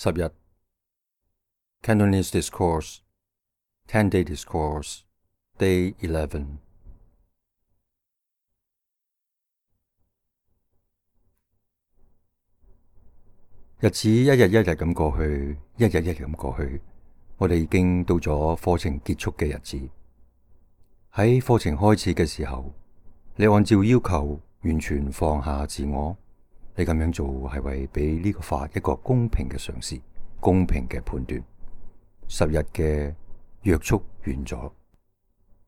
10日 Cantonese Discourse 10-day Discourse Day 11。 日子一日一日咁過去，一日一日咁過去，我哋已經到咗課程結束嘅日子。喺課程開始嘅時候，你按照要求完全放下自我，你咁樣做係為俾呢個法一個公平嘅嘗試，公平嘅判斷。10日嘅約束完咗，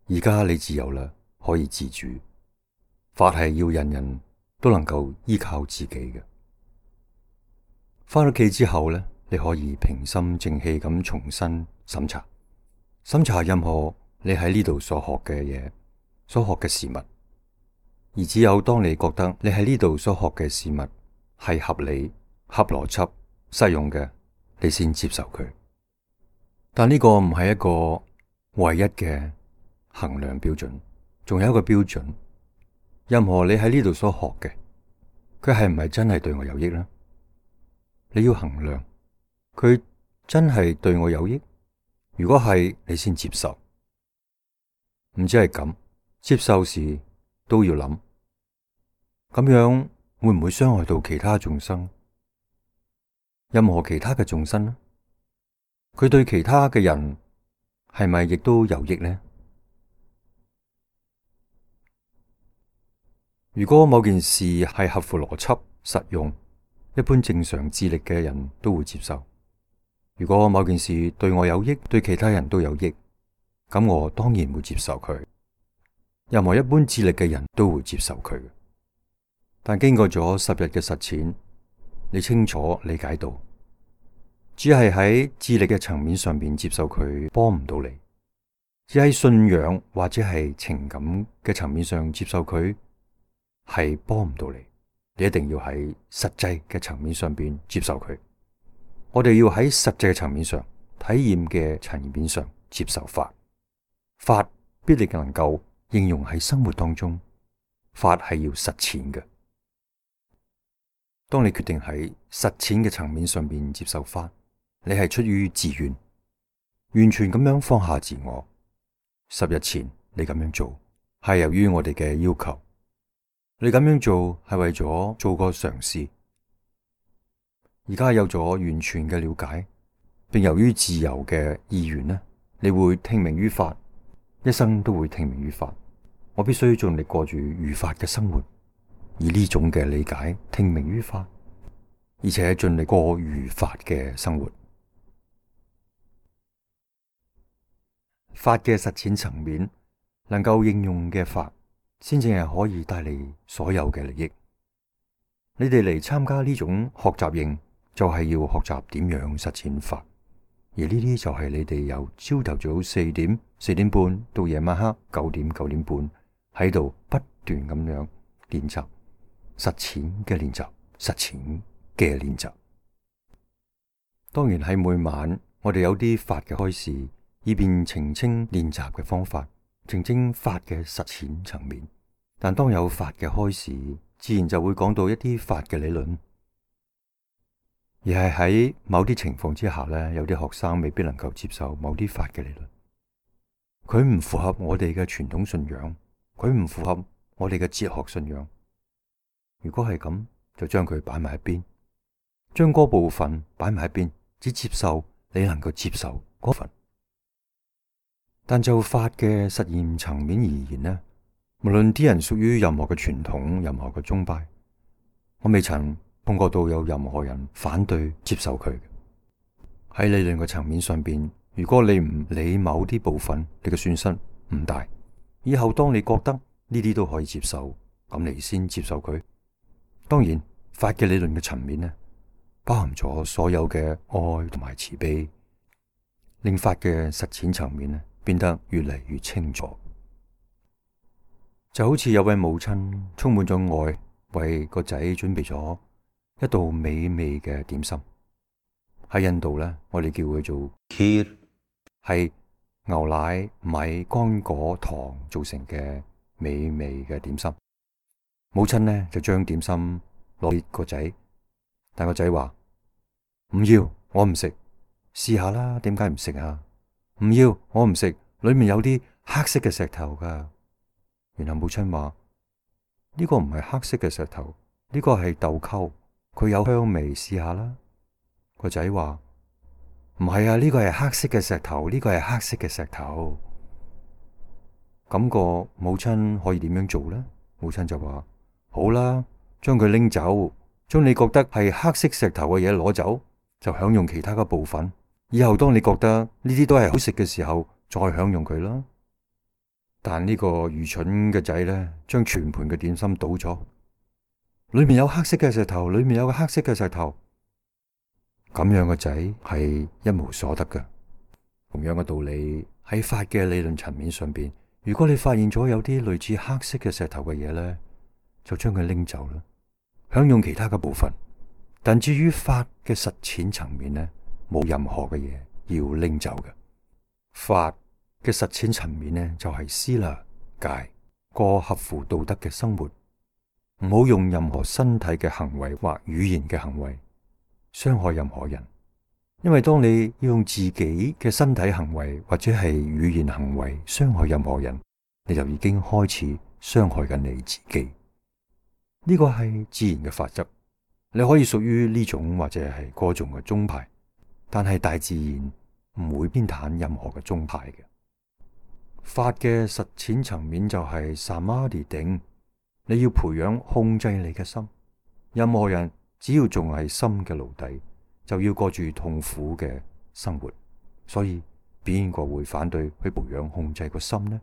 而家你自由啦，可以自主。法係要人人都能夠依靠自己嘅。返屋企之後呢，你可以平心靜氣咁重新審查任何你喺呢度所學嘅嘢，所學嘅事物。而只有當你覺得你喺呢度所學嘅事物係合理、合邏輯、實用嘅，你先接受佢。但呢個唔係一個唯一嘅衡量標準，仲有一個標準，任何你喺呢度所學嘅，佢係唔係真係對我有益呢？你要衡量佢真係對我有益，如果係，你先接受。唔止係咁，接受時都要諗，咁樣會唔會傷害到其他眾生？任何其他嘅眾生呢？佢對其他嘅人係咪亦都有益呢？如果某件事係合乎邏輯、實用，一般正常智力嘅人都會接受。如果某件事對我有益，對其他人都有益，咁我當然會接受佢。任何一般智力嘅人都會接受佢。但經過咗10日嘅實踐，你清楚理解到，只係喺智力嘅層面上面接受佢，幫唔到你；只喺信仰或者係情感嘅層面上接受佢，係幫唔到你。你一定要喺實際嘅層面上邊接受佢。我哋要喺實際嘅層面上、體驗嘅層面上接受法。法必定能夠應用喺生活當中。法係要實踐嘅。當你決定喺實踐嘅層面上邊接受法，你係出於自願，完全咁樣放下自我。10日前你咁樣做，係由於我哋嘅要求。你咁樣做係為咗做個嘗試，而家有咗完全嘅了解，並由於自由嘅意願呢，你會聽命於法，一生都會聽命於法。我必須盡力過住如法嘅生活，以呢種嘅理解聽命於法，而且盡力過如法嘅生活。法嘅實踐層面能夠應用嘅法，先正係可以帶嚟所有嘅利益。你哋嚟參加呢種學習營，就係要學習點樣實踐法，而呢啲就係你哋由朝頭早4點、4點半到夜晚黑9點、9點半喺度不斷咁樣練習實踐嘅練習，實踐嘅練習。當然喺每晚我哋有啲法嘅開示，以便澄清練習嘅方法，澄清法嘅實踐層面。但當有法嘅開示，自然就會講到一啲法嘅理論。而係喺某啲情況之下呢，有啲學生未必能夠接受某啲法嘅理論，佢唔符合我哋嘅傳統信仰，佢唔符合我哋嘅哲學信仰。如果係咁，就將佢擺埋一邊，將嗰部分擺埋一邊，只接受你能夠接受嗰份。但就法嘅實驗層面而言呢，無論啲人屬於任何嘅傳統、任何嘅宗派，我未曾碰過到有任何人反對接受佢。喺理論嘅層面上邊，如果你唔理某啲部分，你嘅損失唔大。以後當你覺得呢啲都可以接受，咁你先接受佢。當然，法嘅理論嘅層面呢，包含咗所有嘅愛同埋慈悲，令法嘅實踐層面呢變得越嚟越清楚。就好似有位母親充滿咗愛，為個仔準備咗一道美味嘅點心。喺印度呢，我哋叫佢做 Kheer， 係牛奶、米、乾果、糖做成嘅美味嘅點心。母親呢就將點心攞俾個仔，但個仔話唔要，我唔食，試下啦，點解唔食啊？唔要，我唔食，裏面有啲黑色嘅石頭噶。然後母親話：呢個唔係黑色嘅石頭，呢個係豆蔻，佢有香味，試下啦。個仔話：唔係啊，呢個係黑色嘅石頭，呢個係黑色嘅石頭。咁個母親可以點樣做呢？母親就話：好啦，將佢拎走，將你覺得係黑色石頭嘅嘢攞走，就享用其他嘅部分。以後當你覺得呢啲都係好食嘅時候，再享用佢啦。但呢個愚蠢嘅仔呢，將全盤嘅點心倒咗，裏面有黑色嘅石頭，裏面有個黑色嘅石頭。咁樣嘅仔係一無所得嘅。同樣嘅道理，喺法嘅理論層面上邊，如果你發現咗有啲類似黑色嘅石頭嘅嘢呢，就將佢拎走啦，享用其他嘅部分。但至於法嘅實踐層面呢，冇任何嘅嘢要拎走嘅。法嘅實踐層面呢，就係思啦戒，過合乎道德嘅生活，唔好用任何身體嘅行為或語言嘅行為傷害任何人。因為當你要用自己嘅身體行為或者係語言行為傷害任何人，你就已經開始傷害緊你自己。呢個係自然嘅法則，你可以屬於呢種或者係嗰種嘅宗派，但係大自然唔會偏袒任何嘅宗派嘅。法嘅實踐層面就係薩瑪迪定，你要培養控制你嘅心。任何人只要仲係心嘅奴隸，就要過住痛苦嘅生活，所以邊個會反對去培養控制個心呢？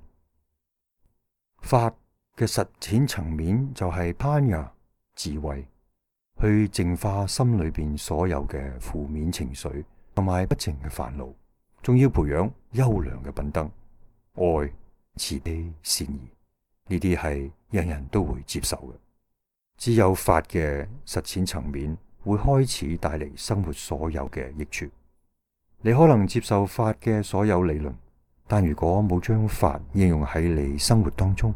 法嘅實踐層面就係攀雅智慧，去淨化心裏邊所有嘅負面情緒同埋不淨嘅煩惱，仲要培養優良嘅品德，愛、慈悲、善意，呢啲係人人都會接受嘅。只有法嘅實踐層面會開始帶嚟生活所有嘅益處。你可能接受法嘅所有理論，但如果冇將法應用喺你生活當中，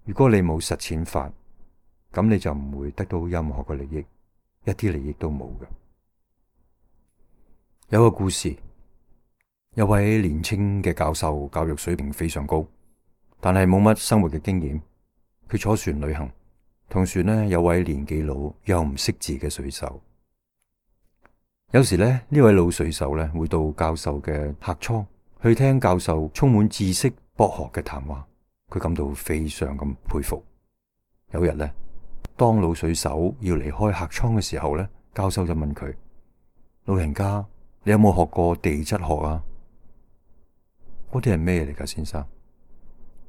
如果你冇實踐法，咁你就唔會得到任何嘅利益，一啲利益都冇嘅。有個故事，有位年輕嘅教授，教育水平非常高，但係冇乜生活嘅經驗。佢坐船旅行，同船呢有位年紀老又唔識字嘅水手。有時呢位老水手呢會到教授嘅客艙去聽教授充滿知識博學嘅談話，佢感到非常咁佩服。有日呢，當老水手要離開客艙嘅時候呢，教授就問佢：老人家，你有冇學過地質學啊？嗰啲係咩嚟㗎，先生？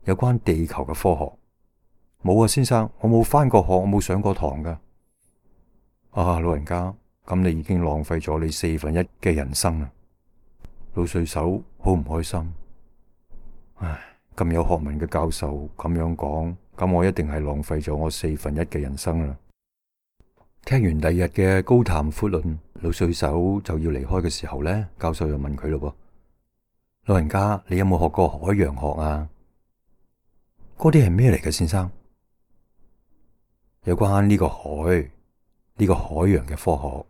有關地球嘅科學。冇啊，先生，我冇返過學，我冇上過堂㗎。啊，老人家，咁你已經浪費咗你1/4嘅人生啦。老水手好唔開心。唉，咁有學問嘅教授咁樣講，咁我一定係浪費咗我1/4嘅人生啦。聽完第二日嘅高談闊論，老水手就要離開嘅時候呢，教授又問佢咯：老人家，你有冇學過海洋學啊？嗰啲係咩嚟嘅，先生？有關呢個海，呢個海洋嘅科學。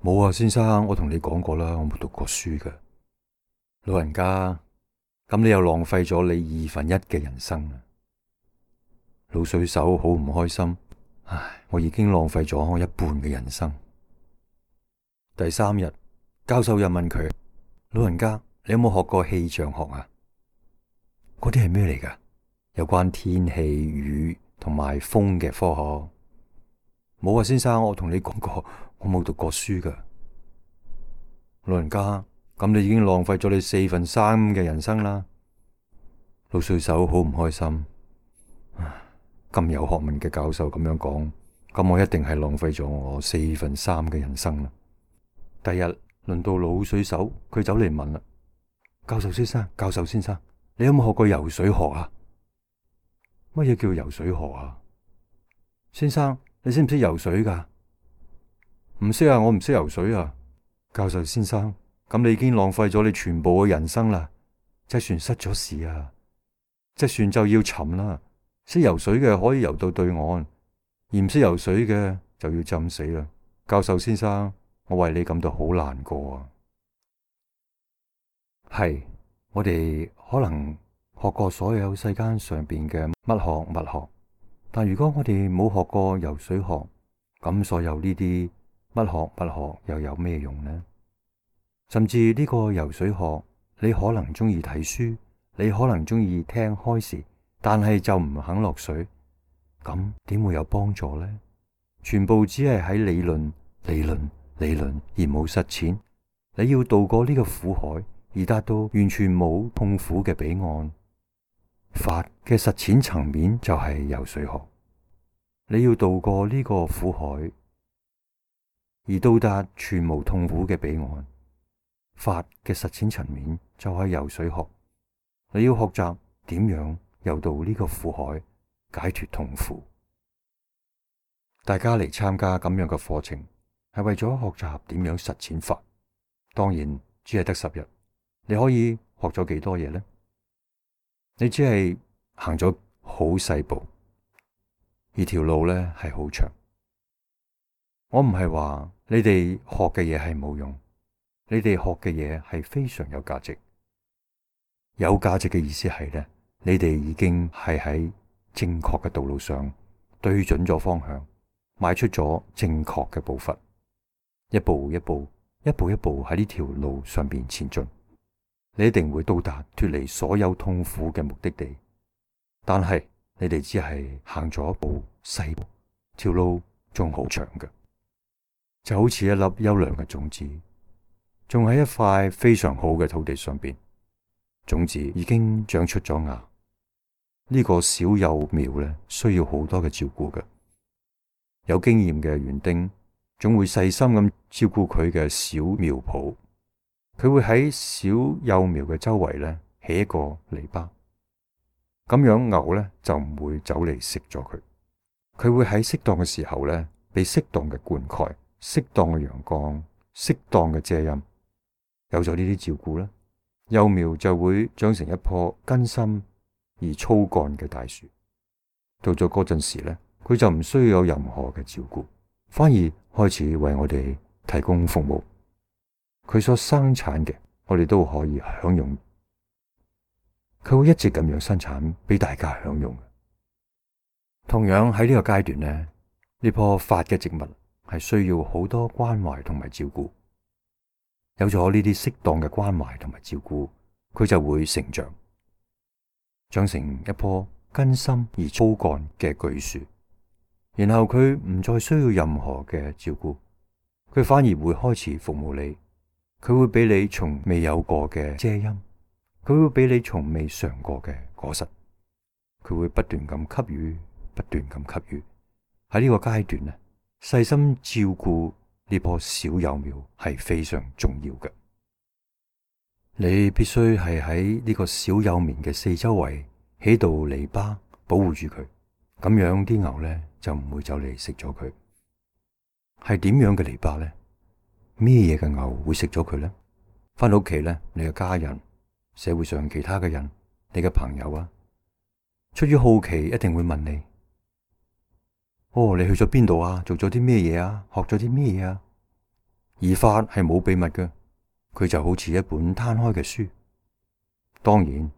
冇啊，先生，我同你講過啦，我冇讀過書㗎。老人家，咁你又浪費咗你1/2嘅人生啦。老水手好唔開心。唉，我已經浪費咗我1半嘅人生。第3日，教授又問佢：老人家，你有冇學過氣象學啊？嗰啲係咩嚟㗎？有關天氣、雨同埋風嘅科學。冇啊，先生，我同你講過，我冇讀過書㗎。老人家，咁你已經浪費咗你3/4嘅人生啦。老水手好唔開心。咁有學問嘅教授咁樣講，咁我一定係浪費咗我3/4嘅人生啦。第日輪到老水手，佢走嚟問啦：教授先生，教授先生，你有冇學過游水學啊？乜嘢叫游水學啊？先生，你識唔識游水㗎？唔識啊，我唔識游水啊。教授先生，咁你已經浪費咗你全部嘅人生啦。隻船失咗事啊，隻船就要沉啦。識游水嘅可以游到對岸，而唔識游水嘅就要浸死啦。教授先生，我為你感到好難過啊。係，我哋可能學過所有世間上邊嘅乜學物學，但如果我哋冇學過游水學，咁所有呢啲乜學物學又有咩用呢？甚至呢個游水學，你可能中意睇書，你可能中意聽開示，但係就唔肯落水，咁點會有幫助呢？全部只係喺理論、理論、理論而冇實踐。你要渡過呢個苦海，而達到完全冇痛苦嘅彼岸。法嘅實踐層面就係游水學。你要渡過呢個苦海，而到達全無痛苦嘅彼岸。法嘅實踐層面就係游水學。你要學習點樣游到呢個苦海，解脫痛苦。大家嚟參加咁樣嘅課程，係為咗學習點樣實踐法。當然只係得10日，你可以學咗幾多嘢呢？你只係行咗好細步，而條路呢係好長。我唔係話你哋學嘅嘢係冇用，你哋學嘅嘢係非常有價值。有價值嘅意思係呢，你哋已經係喺正確嘅道路上，對準咗方向，邁出咗正確嘅步伐，一步一步喺呢條路上邊前進。你一定會到達脫離所有痛苦嘅目的地。但係你哋只係行咗一步細步，條路仲好長嘅，就好似一粒優良嘅種子，仲喺一塊非常好嘅土地上邊，種子已經長出咗芽。呢個小幼苗咧，需要好多嘅照顧嘅。有經驗嘅園丁總會細心咁照顧佢嘅小苗圃，佢會喺小幼苗嘅周圍咧起一個籬笆，咁樣牛咧就唔會走嚟食咗佢。佢會喺適當嘅時候咧，俾適當嘅灌溉、適當嘅陽光、適當嘅遮陰。有咗呢啲照顧咧，幼苗就會長成一棵根深而粗幹嘅大樹。到咗嗰陣時咧，佢就唔需要有任何嘅照顧，反而開始為我哋提供服務。佢所生產嘅，我哋都可以享用。佢會一直咁樣生產俾大家享用。同樣喺呢個階段呢，呢棵法嘅植物係需要好多關懷同埋照顧。有咗呢啲適當嘅關懷同埋照顧，佢就會成長，長成一棵根深而粗幹嘅巨樹。然後佢唔再需要任何嘅照顧，佢反而會開始服務你。佢會俾你從未有過嘅遮陰，佢會俾你從未嘗過嘅果實。佢會不斷咁給予，不斷咁給予。喺呢個階段呢，細心照顧呢棵小幼苗係非常重要嘅。你必須係喺呢個小幼苗嘅四周圍起道籬笆保護住佢，咁樣啲牛呢就唔會走嚟食咗佢。係點樣嘅籬笆呢？咩嘢嘅牛會食咗佢呢？返到屋企呢，你嘅家人、社會上其他嘅人、你嘅朋友啊，出於好奇一定會問你：哦，你去咗邊度啊？做咗啲咩嘢啊？學咗啲咩嘢啊？而法係冇秘密嘅，佢就好似一本攤開嘅書。當然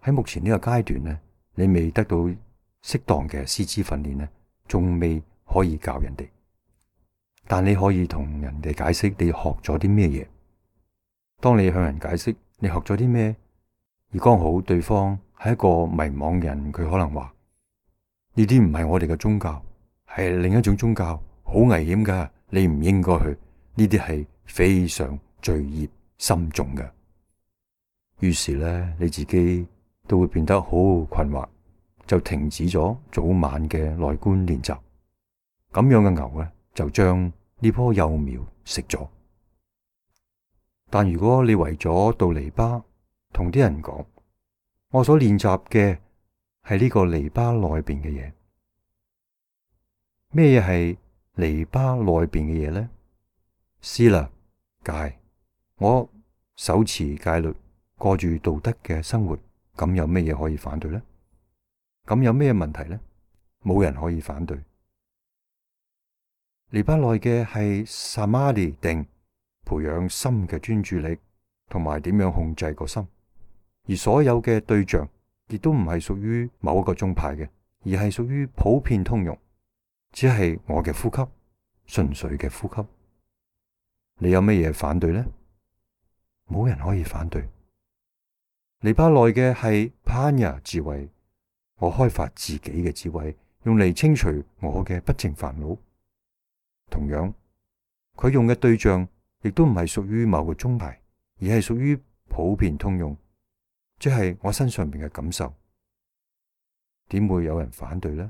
喺目前呢個階段呢，你未得到適當嘅師資訓練呢，仲未可以教人哋。但你可以同人哋解釋你學咗啲咩嘢。當你向人解釋你學咗啲咩，而剛好對方係一個迷惘嘅人，佢可能話：呢啲唔係我哋嘅宗教，係另一種宗教，好危險噶，你唔應該去。呢啲係非常罪孽深重嘅。於是咧，你自己都會變得好困惑，就停止咗早晚嘅內觀練習。咁樣嘅牛咧，就將呢棵幼苗食咗。但如果你圍咗道籬笆，同啲人講：我所練習嘅係呢個籬笆內邊嘅嘢。咩嘢係籬笆內邊嘅嘢呢？思啦，戒，我守持戒律，過住道德嘅生活，咁有咩嘢可以反對呢？咁有咩問題呢？冇人可以反對。黎巴內嘅係薩瑪迪定，培養心嘅專注力同埋點樣控制個心。而所有嘅對象亦都唔係屬於某一個宗派嘅，而係屬於普遍通用，只係我嘅呼吸，純粹嘅呼吸。你有乜嘢反對呢？冇人可以反對。黎巴內嘅係潘雅智慧，我開發自己嘅智慧，用嚟清除我嘅不淨煩惱。同樣，佢用嘅對象亦都唔係屬於某個宗派，而係屬於普遍通用，即係我身上面嘅感受。點會有人反對呢？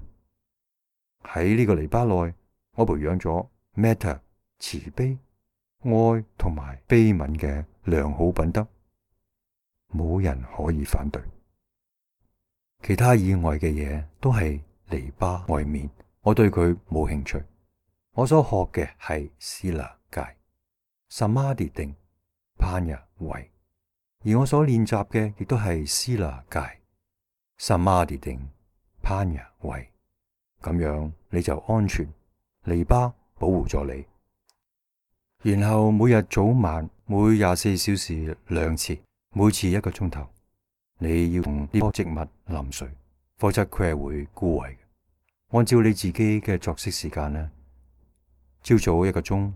喺呢個黎巴內，我培養咗 Metta 慈悲、愛同埋悲憫嘅良好品德，冇人可以反對。其他以外嘅嘢都係籬笆外面，我對佢冇興趣。我所學嘅係斯那戒、薩瑪迪定、潘雅慧，而我所練習嘅亦都係斯那戒、薩瑪迪定、潘雅慧。咁樣你就安全，籬笆保護咗你。然後每日早晚每24小時2次，每次1個鐘頭，你要同呢棵植物淋水，否則佢係會枯萎嘅。按照你自己嘅作息時間呢，朝早1個鐘，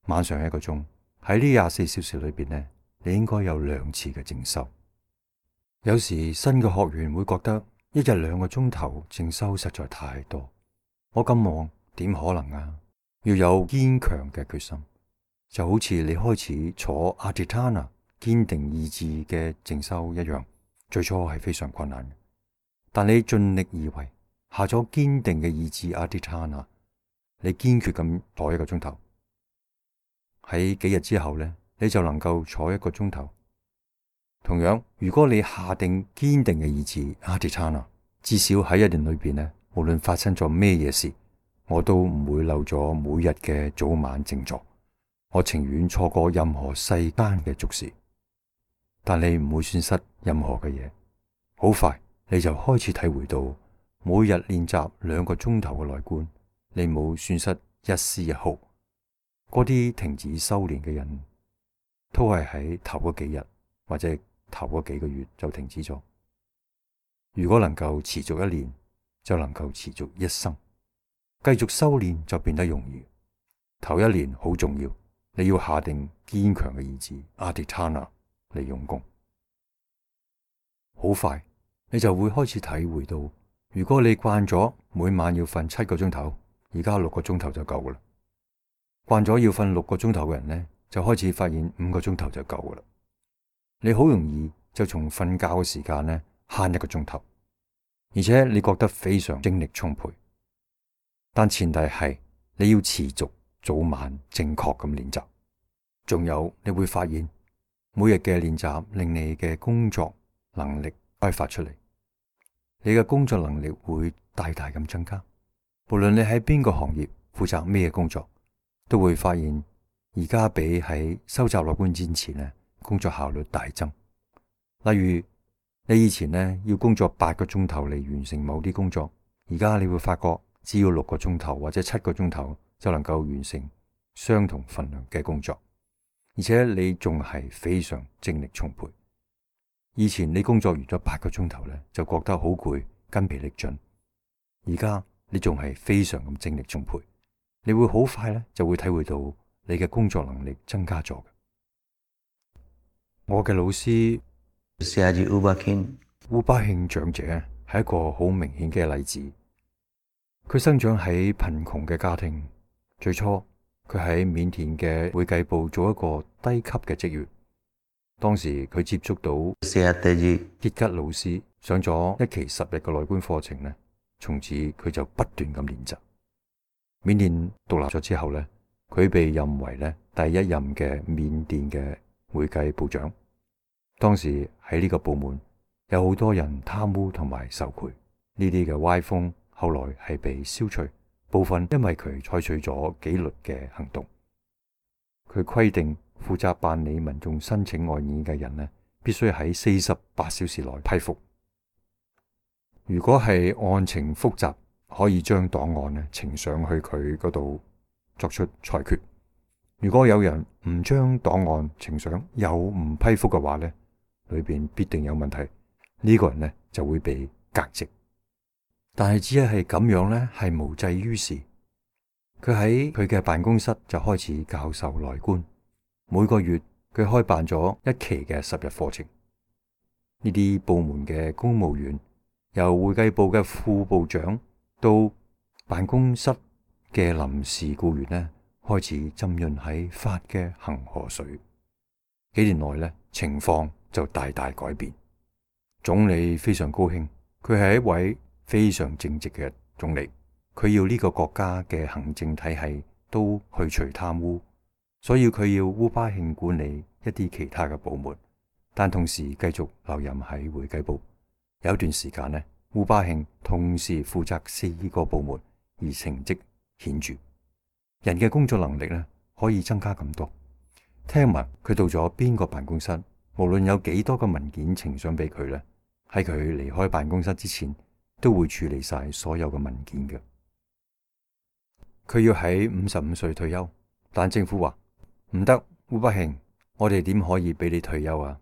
晚上1個鐘，喺呢24小時裏邊呢，你應該有2次嘅靜修。有時新嘅學員會覺得1日2個鐘頭靜修實在太多，我咁忙點可能啊？要有堅強嘅決心，就好似你開始坐阿迪塔納堅定意志嘅靜修一樣，最初係非常困難嘅，但你盡力而為，下咗堅定嘅意志阿迪塔納，你堅決咁坐1個鐘頭，喺幾日之後呢，你就能夠坐1個鐘頭。同樣，如果你下定堅定嘅意志阿迪塔納，至少喺1年裏邊呢，無論發生咗咩嘢事，我都唔會漏咗每日嘅早晚靜坐。我情願錯過任何世間嘅俗事，但你唔會損失任何嘅嘢。好快你就開始體會到，每日練習2個鐘頭嘅內觀，你冇損失一絲一毫。嗰啲停止修煉嘅人，都係喺頭嗰幾日或者頭嗰幾個月就停止咗。如果能夠持續1年，就能夠持續一生。繼續修煉就變得容易。頭1年好重要，你要下定堅強嘅意志阿迪塔納嚟用功。好快你就會開始體會到，如果你慣咗每晚要瞓7個鐘頭，而家6個鐘頭就夠噶啦。慣咗要瞓6個鐘頭嘅人呢，就開始發現5個鐘頭就夠噶啦。你好容易就從瞓覺嘅時間呢慳1個鐘頭，而且你覺得非常精力充沛。但前提係你要持續早晚正確咁練習。仲有你會發現，每日嘅練習令你嘅工作能力開發出嚟，你嘅工作能力會大大咁增加。無論你喺邊個行業負責咩工作，都會發現而家比喺收集內觀之前呢，工作效率大增。例如你以前呢要工作8個鐘頭嚟完成某啲工作，而家你會發覺只要6個鐘頭或者7個鐘頭就能夠完成相同份量嘅工作，而且你仲係非常精力充沛。以前你工作完咗8個鐘頭呢，就覺得好攰，筋疲力盡，而家你仲係非常咁精力充沛。你會好快呢就會體會到你嘅工作能力增加咗。我嘅老師烏巴慶長者係一個好明顯嘅例子。佢生長喺貧窮嘅家庭，最初佢喺緬甸嘅會計部做一個低級嘅職員。當時佢接觸到傑吉老師，上咗1期10日嘅內觀課程呢，從此佢就不斷咁練習。緬甸獨立咗之後呢，佢被任為第1任嘅緬甸嘅會計部長。當時喺呢個部門有好多人貪污同埋受賄，呢啲嘅歪風後來係被消除，部分因為佢採取咗紀律嘅行動。佢規定負責辦理民眾申請外議嘅人呢，必須喺48小時內批復。如果係案情複雜，可以將檔案呈上去佢嗰度作出裁決。如果有人唔將檔案呈上又唔批覆嘅話呢，裏邊必定有問題，呢個人呢就會被革職。但係只係咁樣呢，係無濟於事。佢喺佢嘅辦公室就開始教授內觀，每個月佢開辦咗一期嘅10日課程。呢啲部門嘅公務員，由會計部嘅副部長到辦公室嘅臨時僱員呢，開始浸潤喺法嘅恆河水。幾年內呢，情況就大大改變。總理非常高興，佢係一位非常正直嘅總理，佢要呢個國家嘅行政體系都去除貪污，所以佢要烏巴慶管理一啲其他嘅部門，但同時繼續留任喺會計部。有一段時間呢，烏巴慶同時負責4個部門，而成績顯著。人嘅工作能力呢，可以增加咁多。聽聞佢到咗邊個辦公室，無論有幾多個文件呈上俾佢呢，喺佢離開辦公室之前，都會處理晒所有嘅文件嘅。佢要喺55歲退休，但政府話唔得，烏巴慶，我哋點可以俾你退休啊？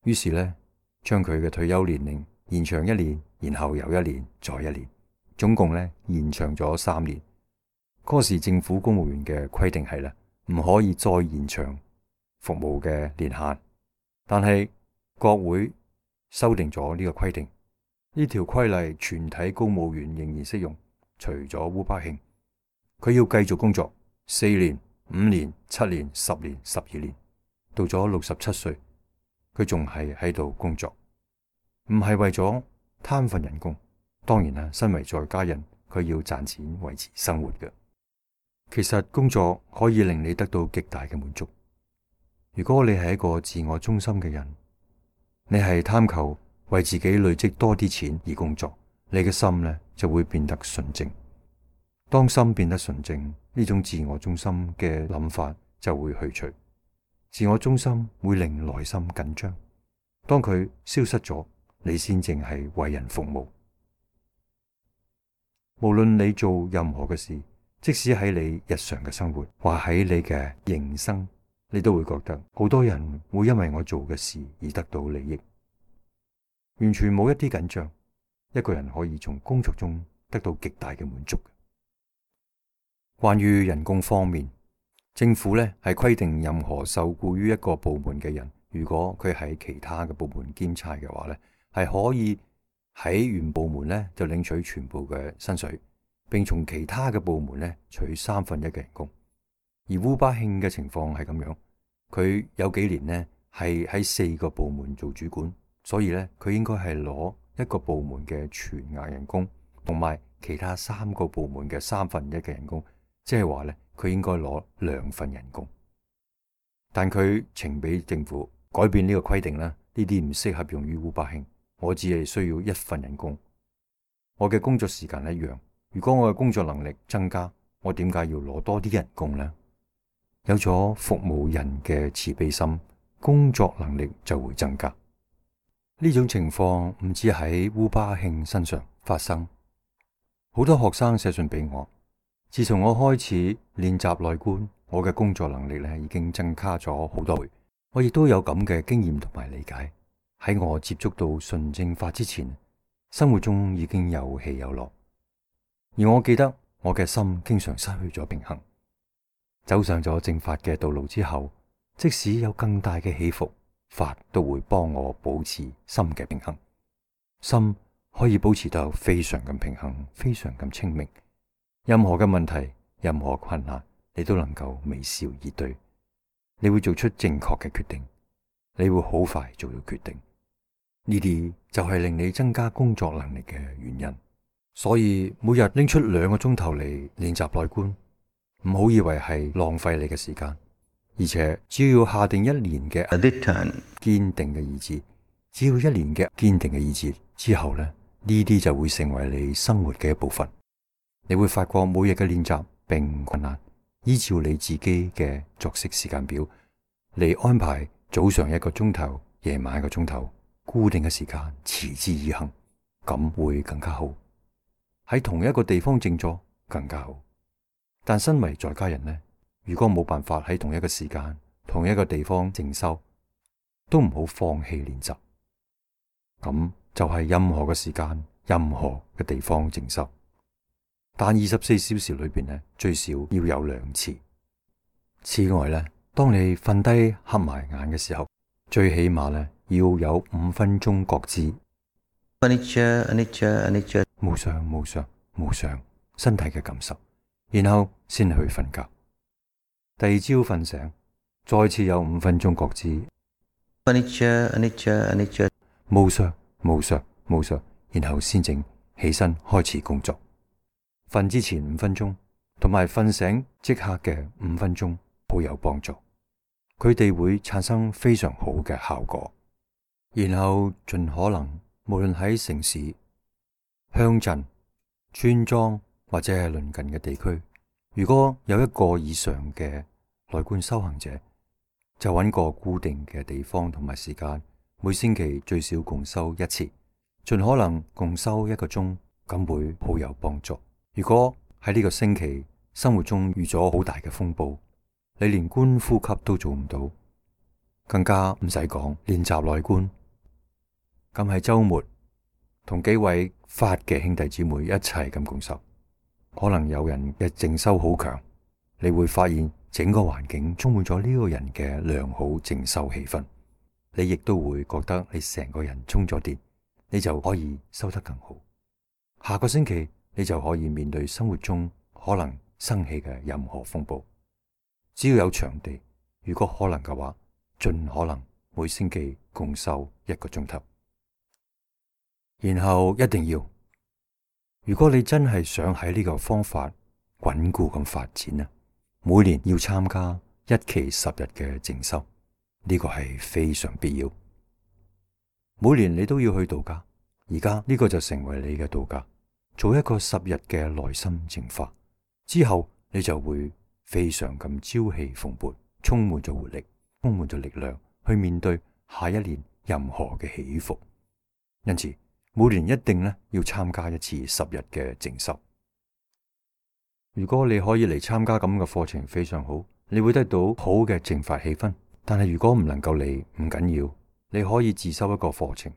於是呢，將佢嘅退休年齡延長1年，然後又1年，再1年，總共呢延長咗3年。嗰時政府公務員嘅規定係唔可以再延長服務嘅年限，但係國會修訂咗呢個規定，呢條規例全體公務員仍然適用，除咗烏巴慶，佢要繼續工作4年、5年、7年、10年、12年，到咗67歲，佢仲係喺度工作，唔係為咗貪份人工。當然啦，身為在家人，佢要賺錢維持生活嘅。其實工作可以令你得到極大嘅滿足。如果你係一個自我中心嘅人，你係貪求為自己累積多啲錢而工作，你嘅心呢就會變得純正。當心變得純正，呢種自我中心嘅諗法就會去除。自我中心會令內心緊張，當佢消失咗，你先正係為人服務。無論你做任何嘅事，即使喺你日常嘅生活，或喺你嘅營生，你都會覺得好多人會因為我做嘅事而得到利益，完全冇一啲緊張。一個人可以從工作中得到極大嘅滿足。關於人工方面，政府呢係規定任何受僱於一個部門嘅人，如果佢喺其他嘅部門兼差嘅話呢，係可以喺原部門呢就領取全部嘅薪水，並從其他嘅部門呢取1/3嘅人工。而烏巴慶嘅情況係咁樣，佢有幾年呢係喺4個部門做主管，所以呢，佢應該係攞一個部門嘅全額人工，同埋其他3個部門嘅1/3嘅人工，即係話呢，佢應該攞2份人工。但佢呈俾政府改變呢個規定啦，呢啲唔適合用於烏巴慶。我只係需要1份人工，我嘅工作時間一樣。如果我嘅工作能力增加，我點解要攞多啲人工呢？有咗服務人嘅慈悲心，工作能力就會增加。呢種情況唔止喺烏巴慶身上發生，好多學生寫信俾我。自從我開始練習內觀，我嘅工作能力已經增加咗好多倍。我亦都有咁嘅經驗同埋理解。喺我接觸到純正法之前，生活中已經有起有落，而我記得我嘅心經常失去咗平衡。走上咗正法嘅道路之後，即使有更大嘅起伏，法都會幫我保持心嘅平衡。心可以保持得非常咁平衡，非常咁清明。任何嘅問題，任何困難，你都能夠微笑以對。你會做出正確嘅決定，你會好快做到決定。呢啲就係令你增加工作能力嘅原因。所以每日拎出2個鐘頭嚟練習內觀，唔好以為係浪費你嘅時間，而且只要下定1年嘅堅定嘅意志，只要1年嘅堅定嘅意志之後呢啲就會成為你生活嘅一部分。你會發覺每日嘅練習並唔困難，依照你自己嘅作息時間表嚟安排，早上1個鐘頭，夜晚1個鐘頭，固定嘅時間持之以恆，咁會更加好。喺同一個地方靜坐更加好。但身為在家人呢，如果冇辦法喺同一個時間、同一個地方靜修，都唔好放棄練習。咁就係任何嘅時間、任何嘅地方靜修。但24小時裏邊呢，最少要有2次。此外呢，當你瞓低合埋眼嘅時候，最起碼呢要有5分鐘覺知。無常身體嘅感受，然後先去瞓覺。第二朝瞓醒，再次有5分鐘覺知。無常，然後先正起身開始工作。瞓之前5分鐘，同埋瞓醒即刻嘅5分鐘，好有幫助。佢哋會產生非常好嘅效果。然後盡可能，無論喺城市、鄉鎮、村莊或者係鄰近嘅地區，如果有1個以上嘅內觀修行者，就揾個固定嘅地方同埋時間，每星期最少共修1次，盡可能共修1個鐘，咁會好有幫助。如果喺呢個星期生活中遇咗好大嘅風暴，你連觀呼吸都做唔到，更加唔使講練習內觀。咁喺周末同幾位法嘅兄弟姊妹一齊咁共修，可能有人嘅靜修好強，你會發現整個環境充滿咗呢個人嘅良好靜修氣氛，你亦都會覺得你成個人充咗電，你就可以修得更好。下個星期你就可以面對生活中可能生起嘅任何風暴。只要有場地，如果可能嘅話，盡可能每星期共修1個鐘頭。然後一定要，如果你真係想喺呢個方法穩固咁發展啊，每年要參加1期10日嘅靜修，呢個係非常必要。每年你都要去度假，而家呢個就成為你嘅度假，做一個10日嘅內心淨化，之後你就會非常咁朝氣蓬勃，充滿咗活力，充滿咗力量去面對下一年任何嘅起伏。因此每年一定要參加1次10日嘅靜修。如果你可以嚟參加咁嘅課程，非常好，你會得到好嘅淨化氣氛。但係如果唔能夠嚟，唔緊要，你可以自修一個課程。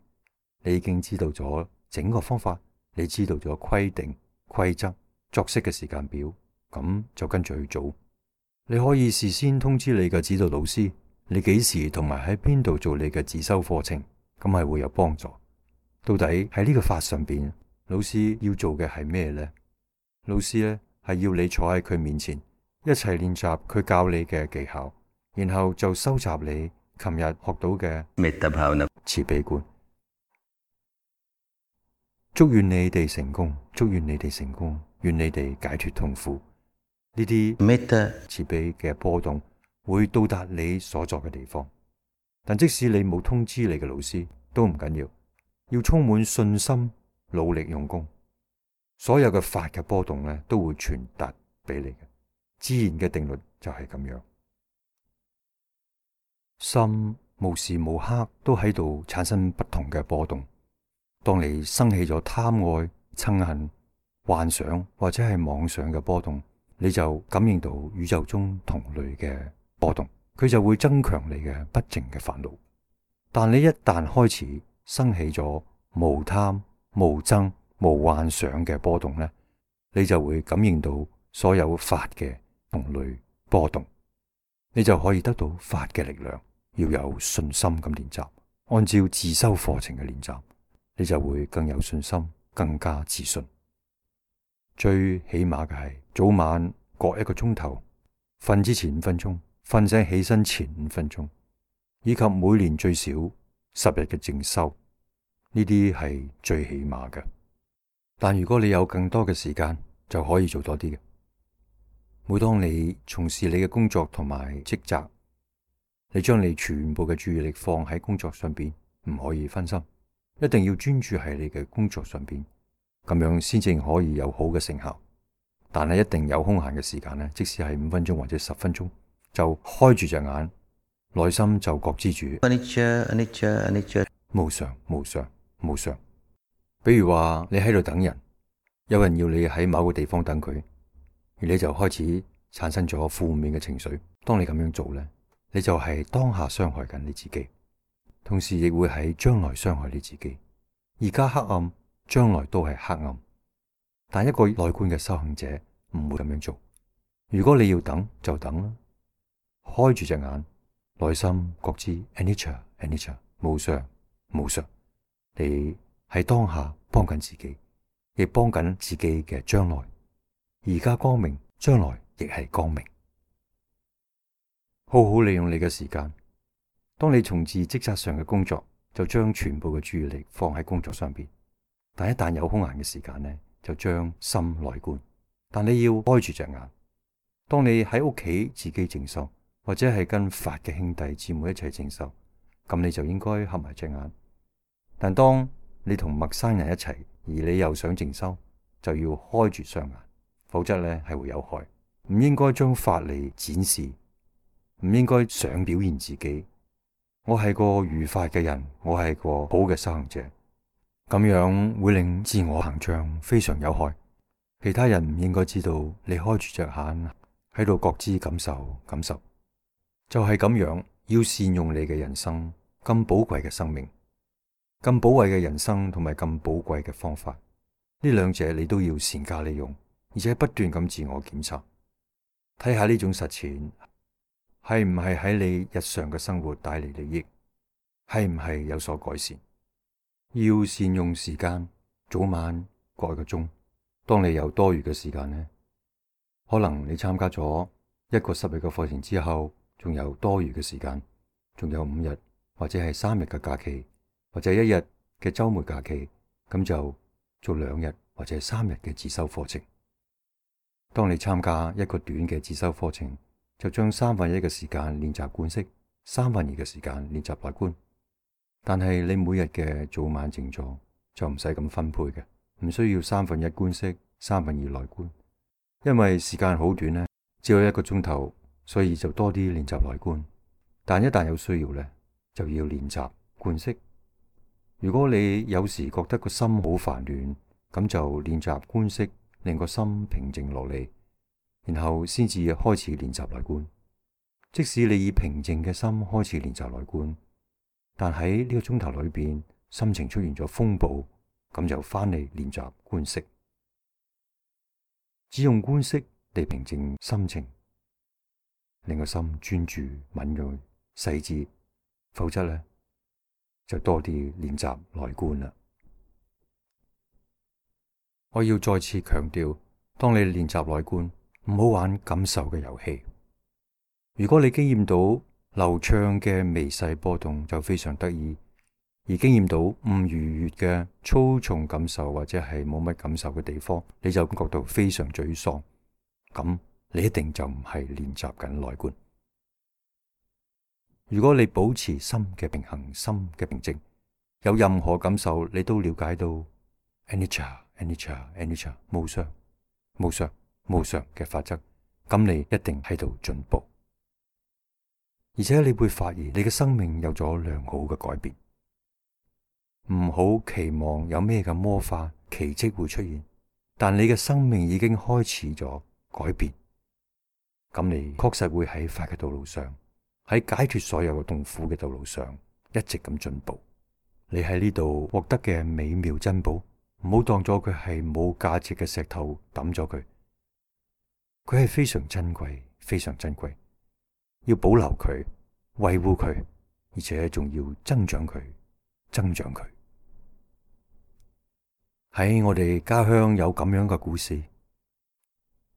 你已經知道咗整個方法，你知道咗規定、規則、作息嘅時間表，咁就跟住去做。你可以事先通知你嘅指導老師，你幾時同埋喺邊度做你嘅自修課程，咁係會有幫助。到底喺呢個法上邊，老師要做嘅係咩呢？老師呢係要你坐喺佢面前，一齊練習佢教你嘅技巧，然後就收集你琴日學到嘅慈悲觀。祝願你哋成功，祝願你哋成功，願你哋解脫痛苦。呢啲慈悲嘅波動會到達你所在嘅地方，但即使你冇通知你嘅老師都唔緊要，要充滿信心，努力用功，所有嘅法嘅波動都會傳達俾你嘅。自然嘅定律就係咁樣，心無時無刻都喺度產生不同嘅波動。當你生起咗貪愛、嗔恨、幻想或者係妄想嘅波動，你就感應到宇宙中同類嘅波動，佢就會增強你嘅不淨嘅煩惱。但你一旦開始生起咗無貪、無憎、無幻想嘅波動，你就會感應到所有法嘅同類波動，你就可以得到法嘅力量。要有信心咁練習，按照自修課程嘅練習，你就會更有信心，更加自信。最起碼嘅係早晚各1個鐘頭，瞓之前5分鐘，瞓醒起身前5分鐘，以及每年最少10日嘅靜修，呢啲係最起碼嘅。但如果你有更多嘅時間，就可以做多啲嘅。每當你從事你嘅工作同埋職責，你將你全部嘅注意力放喺工作上邊，唔可以分心，一定要專注喺你嘅工作上邊，咁樣先至可以有好嘅成效。但係一定有空閒嘅時間，即使係5分鐘或者10分鐘，就開住隻眼，內心就覺知住無常、無常、無常。比如話你喺度等人，有人要你喺某個地方等佢，而你就開始產生咗負面嘅情緒。當你咁樣做呢，你就係當下傷害緊你自己，同時亦會喺將來傷害你自己。而家黑暗，將來都係黑暗。但一個內觀嘅修行者唔會咁樣做。如果你要等，就等啦，開住隻眼，內心覺知 anicca 無常無常。你喺當下幫緊自己，亦幫緊自己嘅將來。而家光明，將來亦係光明。好好利用你嘅時間。當你從事職責上嘅工作，就將全部嘅注意力放喺工作上邊。但一旦有空閒嘅時間呢，就將心內觀。但你要開住隻眼。當你喺屋企自己靜修，或者係跟法嘅兄弟姊妹一齊靜修，咁你就應該合埋隻眼。但當你同陌生人一齊，而你又想靜修，就要開住雙眼，否則呢係會有害。唔應該將法嚟展示，唔應該想表現自己。我係個如法嘅人，我係個好嘅修行者，咁樣會令自我膨脹，非常有害。其他人唔應該知道你開住隻眼喺度覺知感受，就係咁樣。要善用你嘅人生，咁寶貴嘅生命，咁寶貴嘅人生同埋咁寶貴嘅方法，呢兩者你都要善加利用，而且不斷咁自我檢查，睇下呢種實踐係唔係喺你日常嘅生活帶嚟利益，係唔係有所改善。要善用時間，早晚各1個鐘。當你有多餘嘅時間呢，可能你參加咗一個10日嘅課程之後，仲有多餘嘅時間，仲有5日或者係3日嘅假期，或者1日嘅週末假期，咁就做2日或者3日嘅自修課程。當你參加一個短嘅自修課程，就將1/3嘅時間練習觀息，2/3嘅時間練習內觀。但係你每日嘅早晚靜坐就唔使咁分配嘅，唔需要1/3觀息，2/3內觀，因為時間好短呢，只有1個鐘頭，所以就多啲練習內觀。但一旦有需要呢，就要練習觀息。如果你有時覺得個心好煩亂，咁就練習觀息，令個心平靜落嚟，然後先至開始練習內觀。即使你以平靜嘅心開始練習內觀，但喺呢個鐘頭裏邊，心情出現咗風暴，咁就翻嚟練習觀息。只用觀息嚟平靜心情，令個心專注、敏銳、細緻，否則呢，就多啲練習內觀啦。我要再次強調，當你練習內觀，唔好玩感受嘅遊戲。如果你經驗到流暢嘅微細波動，就非常得意；而經驗到唔愉悅嘅粗重感受，或者係冇乜感受嘅地方，你就感覺到非常沮喪。咁你一定就唔係練習緊內觀。如果你保持心嘅平衡、心嘅平靜，有任何感受你都了解到 anicca 無常嘅法則，咁你一定喺度進步。而且你會發現你嘅生命有咗良好嘅改變。唔好期望有咩嘅魔法奇蹟會出現，但你嘅生命已經開始咗改變。咁你確實會喺法嘅道路上，喺解脫所有嘅痛苦嘅道路上一直咁進步。你喺呢度獲得嘅美妙珍寶，唔好當咗佢係冇價值嘅石頭抌咗佢。佢係非常珍貴，非常珍貴。要保留佢，維護佢，而且仲要增長佢。喺我哋家鄉有咁樣嘅故事。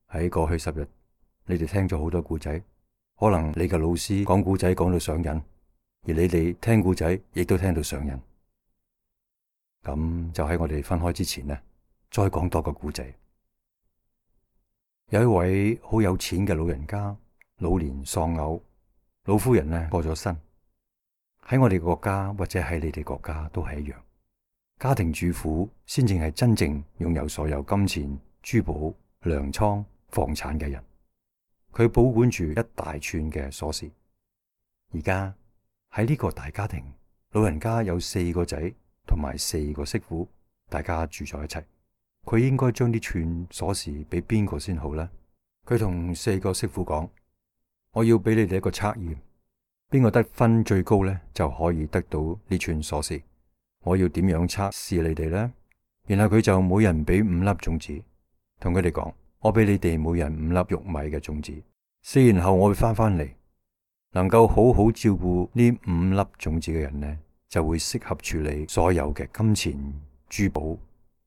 喺過去10日，你哋聽咗好多故仔，可能你嘅老師講故仔講到上癮，而你哋聽故仔亦都聽到上癮。咁就喺我哋分開之前呢，再講多個故仔。有一位好有錢嘅老人家，老年喪偶，老夫人呢過咗身。喺我哋國家或者喺你哋國家都係一樣，家庭主婦先正係真正擁有所有金錢、珠寶、糧倉、房產嘅人。佢保管住一大串嘅鎖匙。而家喺呢個大家庭，老人家有4個仔同埋4個媳婦，大家住在一齊。佢應該將啲串鎖匙俾邊個先好呢？佢同4個媳婦講：我要俾你哋一個測驗，邊個得分最高呢，就可以得到呢串鎖匙。我要點樣測試你哋呢？然後佢就每人俾5粒種子，同佢哋講：我俾你哋每人5粒玉米嘅種子。4年後我會翻嚟，能夠好好照顧呢5粒種子嘅人呢，就會適合處理所有嘅金錢、珠寶、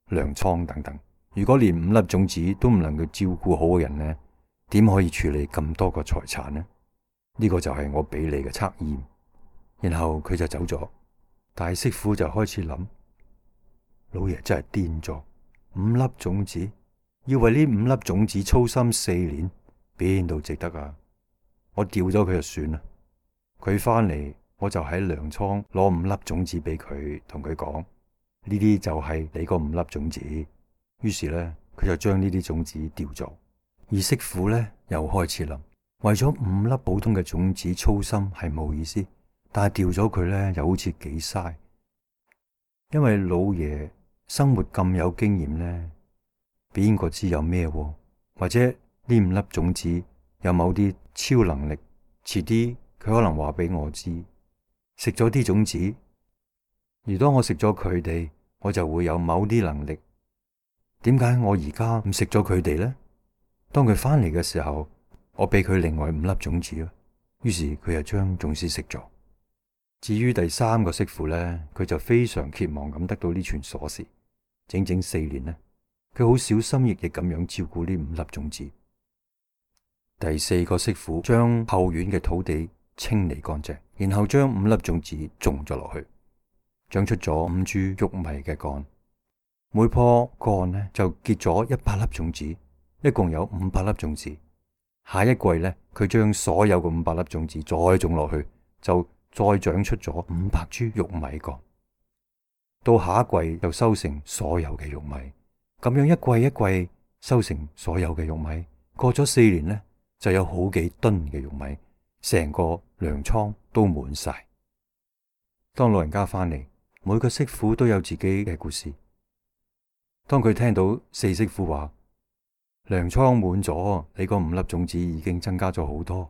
糧倉等等。如果連5粒種子都唔能夠照顧好嘅人呢，點可以處理咁多個財產呢？呢個就係我俾你嘅測驗。然後佢就走咗，大媳婦就開始諗：老爺真係癲咗，5粒種子，要為呢5粒種子操心4年，邊度值得啊？我掉咗佢就算啦。佢翻嚟，我就喺糧倉攞5粒種子俾佢，同佢講：呢啲就係你嗰5粒種子。於是呢，佢就將呢啲種子掉咗。而媳婦呢，又開始諗：為咗5粒普通嘅種子操心係冇意思，但係掉咗佢呢，又好似幾嘥。因為老爺生活咁有經驗呢，邊個知有咩喎？或者呢5粒種子有某啲超能力，遲啲佢可能話俾我知。食咗啲種子，而當我食咗佢哋，我就會有某啲能力。點解我而家唔食咗佢哋呢？當佢翻嚟嘅時候，我俾佢另外5粒種子啊。於是佢就將種子食咗。至於第3個媳婦呢，佢就非常期望咁得到呢串鎖匙。整整4年呢，佢好小心翼翼咁樣照顧呢5粒種子。第4個媳婦將後院嘅土地清理乾淨，然後將5粒種子種咗落去，長出咗5株玉米嘅幹。每棵幹呢就結咗100粒種子，一共有500粒種子。下一季呢，佢將所有嘅500粒種子再種落去，就再長出咗500株玉米幹。到下一季又收成所有嘅玉米，咁樣一季一季收成所有嘅玉米。過咗4年呢，就有好幾噸嘅玉米，成個糧倉都滿晒。當老人家翻嚟，每個媳婦都有自己嘅故事。當佢聽到4媳婦話糧倉滿咗，你嗰5粒種子已經增加咗好多，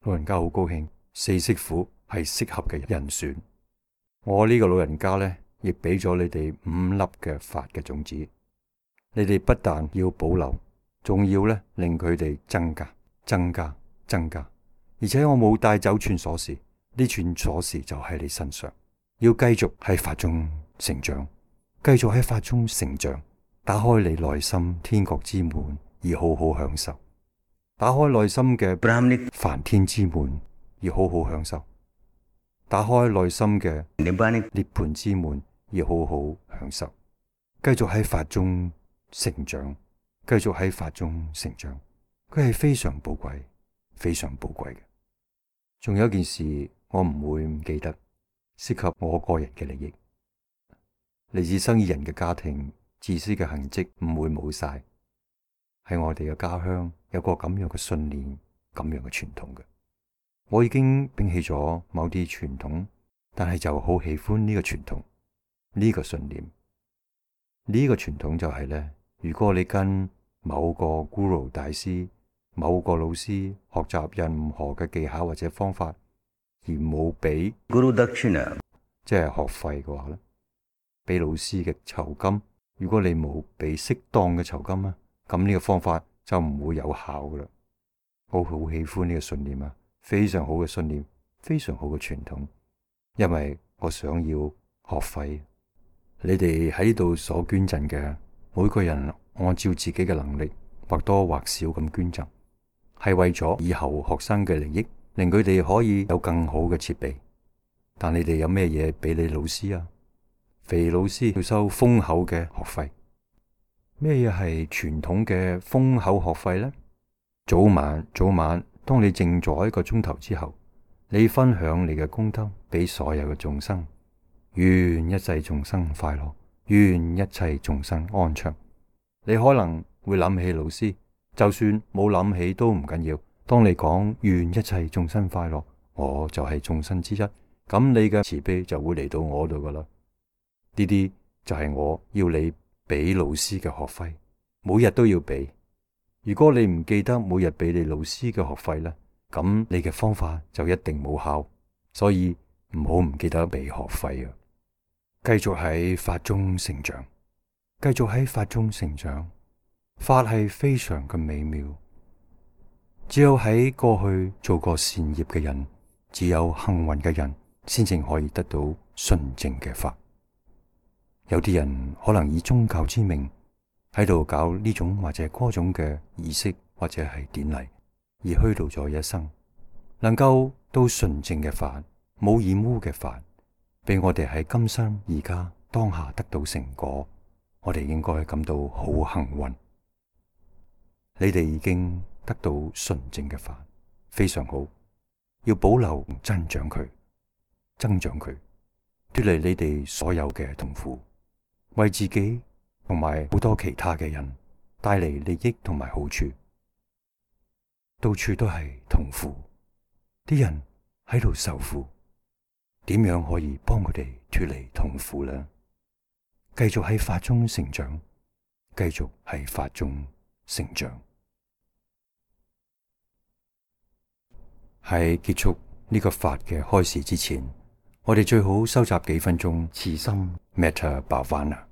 老人家好高興。4媳婦係適合嘅人選。我呢個老人家呢，亦俾咗你哋5粒嘅發嘅種子。你哋不但要保留，仲要呢令佢哋增加。而且我冇帶走串鎖匙，呢串鎖匙就喺你身上，要繼續喺法中成長，繼續喺法中成長。打開你內心天國之門，而好好享受；打開內心嘅梵天之門，而好好享受；打開內心嘅涅槃之門，而好好享受。繼續喺法中成長，繼續喺法中成長。佢係非常寶貴，非常寶貴嘅。仲有一件事，我唔會唔記得，涉及我個人嘅利益。嚟自生意人嘅家庭，自私嘅痕跡唔會冇晒。喺我哋嘅家鄉有個咁樣嘅信念，咁樣嘅傳統嘅。我已經摒棄咗某啲傳統，但係就好喜歡呢個傳統，呢個信念。呢個傳統就係呢：如果你跟某個 Guru 大師、某個老師學習任何嘅技巧或者方法，而冇俾 Guru Dakshina，即係學費嘅話咧，俾老師嘅酬金，如果你冇俾適當嘅酬金啊，咁呢個方法就唔會有效噶啦。我好喜歡呢個信念啊，非常好嘅信念，非常好嘅傳統，因為我想要學費。你哋喺呢度所捐贈嘅，每個人按照自己嘅能力或多或少咁捐贈，係為咗以後學生嘅利益，令佢哋可以有更好嘅設備。但你哋有咩嘢俾你老師啊？肥老師要收豐厚嘅學費。咩嘢係傳統嘅豐厚學費呢？早晚，當你靜咗1個鐘頭之後，你分享你嘅功德俾所有嘅眾生，願一切眾生快樂，願一切眾生安詳。你可能會諗起老師，就算冇諗起都唔緊要。當你講願一切眾生快樂，我就係眾生之一，咁你嘅慈悲就會嚟到我度噶啦。呢啲就係我要你俾老師嘅學費，每日都要俾。如果你唔記得每日俾你老師嘅學費咧，咁你嘅方法就一定冇效。所以唔好唔記得俾學費啊！繼續喺法中成長，繼續喺法中成長。法係非常嘅美妙，只有喺過去做過善業嘅人，只有幸運嘅人，先至可以得到純正嘅法。有啲人可能以宗教之名喺度搞呢種或者嗰種嘅儀式或者係典禮，而虛度咗一生。能夠到純正嘅法，冇染污嘅法，俾我哋喺今生而家當下得到成果，我哋應該感到好幸運。你哋已經得到純正嘅法，非常好，要保留增長佢，脫離你哋所有嘅痛苦，為自己同埋好多其他嘅人帶嚟利益同埋好處。到處都係痛苦，啲人喺度受苦，點樣可以幫佢哋脫離痛苦呢？繼續喺法中成長，繼續喺法中成長。喺結束呢個法嘅開始之前，我哋最好收集幾分鐘慈心 Metta Bhavana。